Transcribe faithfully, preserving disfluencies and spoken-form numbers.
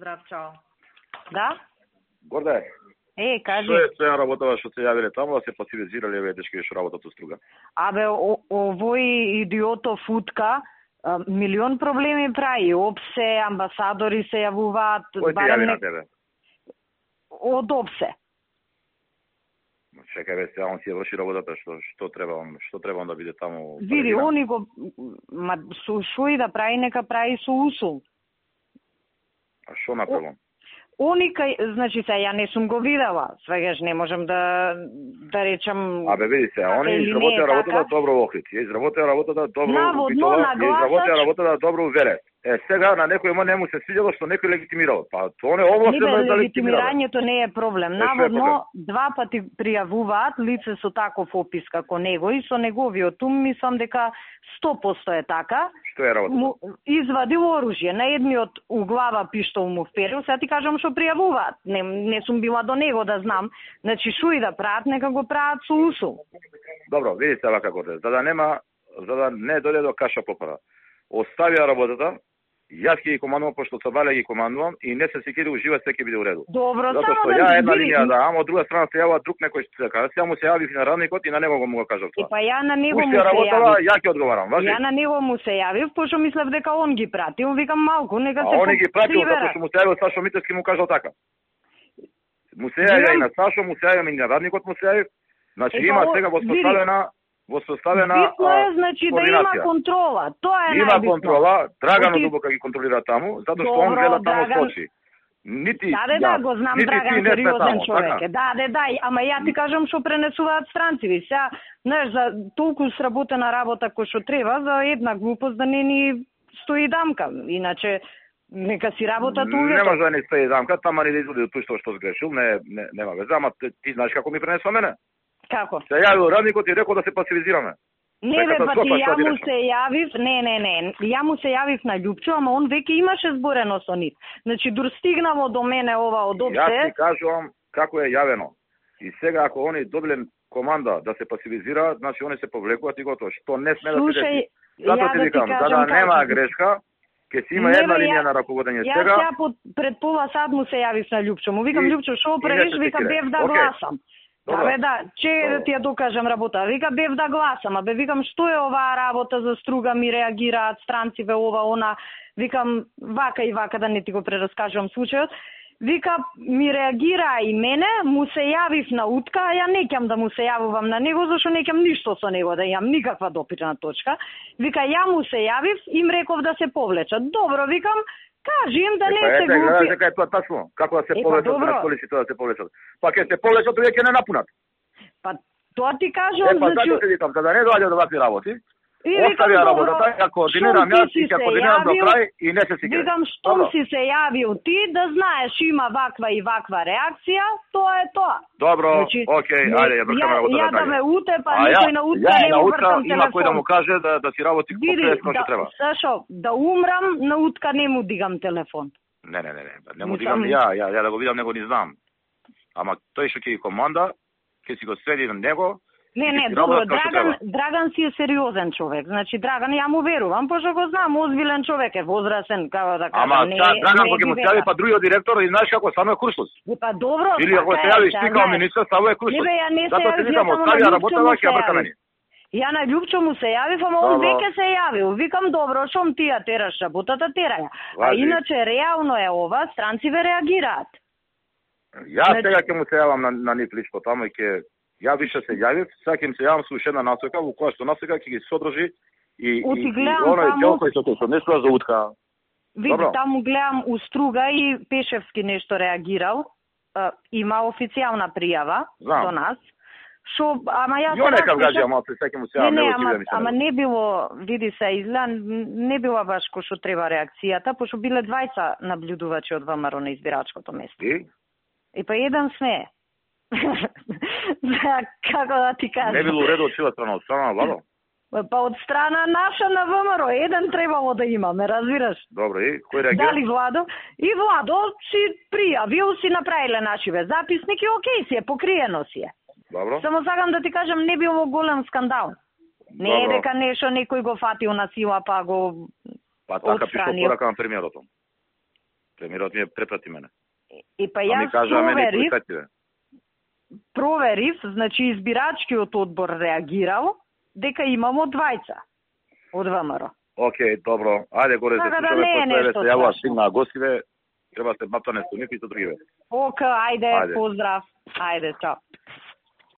Поздрав, чао. Да? Горде. Е, кажи. Што е тоа работава што се јавиле таму, да се пасивизирале еве дечки што работат во Струга? Абе, овој идиотов футка, милион проблеми прави. Опсе, амбасадори се јавуваат. Кој ти јави на тебе? Од Опсе. Чекај бе, сега он си ја врши работата, што што треба он, што треба он да биде таму? Види, они го ма со шо и да прави, нека прави со усул. А што направам? Они кај, значи се ја не сум го видела, свегаш не можам да да речам. Абе види се, они изработија работата добро во Охрид, ја изработија работата добро во Битола, ја изработија работата добро во Верес. Е, сега на некој ма не му се свиѓало што некој легитимирал. Па тоа не овластено е да легитимира. Легитимирањето не е проблем. Наводно два пати пријавуваат лице со таков опис како него и со неговиот ум мислам дека сто проценти е така. Што е работата? Извадил оружје, на едниот у глава пиштол му вперил, сега ти кажам што пријавуваат. Не, не сум била до него да знам. Значи шо и да прават, нека го прават со усул. Добро, видите вака годе. За да нема, за да не дојде до каша попара. Оставија работата. Јас ќе ги командувам, пошто Цабале ги командувам и не се секи да ужива, се ќе биде у реду. Добро, затоа што ја една линија да, ама од друга страна се јавува друг некој што се каже. Сега му се јави на радникот и на него го му го кажав тоа. И па ја на него Пушти му се работава, јавив. Ја ќе одговарам, важи? Ја на него му се јавив, пошто мислев дека он ги пратил, викам малку, нека се. А он ги пратил затоа што му се јавил Сашо Митевски му кажал така. Му се јави и на Сашо, му се јави и на радникот му се јави. Значи е, има о, сега воспоставена воспоставена битно е, значи, да има контрола. Тоа е има најбитно. контрола, Драгано дубока ги контролира таму, затоа што он гледа таму Драган... скочи. Нити да, да, да, го знам, Драган сериозен човек така? е. Да, да, да, ама ја ти кажам што пренесуваат странци. Сега, знаеш, за толку сработена работа кој што треба, за една глупост да не ни стои дамка. Иначе, нека си работат увето. Не може да не стои дамка, тама не да изводи од тој што сгрешил, не, не, нема веза, ама ти, ти знаеш како ми пренесува мене? Како? Се јавил радникот и рекол да се пасивизираме. Не бе, па ти ја му се јавив, не, не, не, ја му се јавив на Љупчо, ама он веќе имаше зборено со нив. Значи, дур стигнало до мене ова од Опсе. Јас ти кажувам како е јавено. И сега ако они добиле команда да се пасивизираат, значи они се повлекуваат и готово. Што не сме да се деси. Затоа ти викам, за да нема грешка, ќе си има една линија на раководење сега. Јас ја пред пола сат му се јавив на Љупчо. Му викам, Љупчо, шо правиш? Викам, бев да гласам. Да, бе, да, че да ти ја докажам работа. Вика, бев да гласам, а бе, викам, што е оваа работа за Струга, ми реагираат странциве, ова, она. Викам, вака и вака, да не ти го прераскажувам случајот. Вика, ми реагираа и мене, му се јавив на утка, а ја не ќам да му се јавувам на него, зашто не ќам ништо со него, да имам никаква допирна точка. Вика, ја му се јавив, им реков да се повлечат. Добро, викам, кажи им да не се глупи. Гледаш дека е тоа тачно, како да се повлечат, на полиците да се повлечат. Па ќе се повлечат, овие ќе не напунат. Па тоа ти кажувам, е, па, значи... Е, па за да не доаѓа до вакви работи, оставија работата, ја координирам јас и ќе координирам до крај и не се сикре. Викам, што си се јавил ти, да знаеш има ваква и ваква реакција, тоа е тоа. Добро, значи, окей, ајде, ја бркаме работата. Ја да ме утепа, никој на утка не му вртам телефон. Има кој да му каже да, да си работи како што треба. Сашо, да умрам, на утка не му дигам телефон. Не, не, не, не, не му дигам ја, ја, ја да го видам, него не знам. Ама тој што ќе ги команда, ќе си го следи на него. Не, не, добро, Драган, Драган си е сериозен човек. Значи, Драган ја му верувам, пошто го знам, озбилен човек е, возрасен, како да кажам. Ама, не, Драган кога му се јави па другиот директор, и знаеш како, само е курсус. Па добро, или ако се јави стикал министер, само е курсус. Затоа ти викам, остави работава, ќе ја бркаме ни. Ја на Љупчо му се јавив, ама он веќе се јавил. Викам, добро, шом ти ја тераш работата, тераја. А иначе, реално е ова, странциве реагираат. Јас сега ќе му се јавам на, на нив лично таму и ќе ја више се јавив, сега ќе им се јавам со уште една насока, во која што насока ќе ги содржи и, и, и оној дел кој што се нешто за утка. Види, таму гледам у Струга и Пешевски нешто реагирал. Uh, има официјална пријава Знам. до нас. Шо, ама јас Ја некав гаѓа, ама се сеќам се не, не, ама, ама не било, види се, изгледа не била баш кој што треба реакцијата, пошто биле двајца наблюдувачи од ВМРО на избирачкото место. И? И па еден смее. Како да ти кажам? Не било уредо од чија страна, од страна на владо? Па од страна наша на ВМРО, еден требало да имаме, разбираш? Добро, и кој реагира? Дали Владо? И Владо си пријавил, си направиле нашиве записник и окей си е, покриено си е. Добро. Само сакам да ти кажам, не било голем скандал. Не е дека нешто некој го фатил на сила па го Па така пишува порака на премиерот. Премиерот ми е препрати мене. И па јас проверив, проверив, значи избирачкиот одбор реагирал дека имамо двајца од ВМРО. Океј, добро. Ајде горе се слушаме, после се јавува стигнаа гостиве, треба се мапта нешто, нифи со другиве. Ока, ајде, ајде, поздрав. Ајде, чао.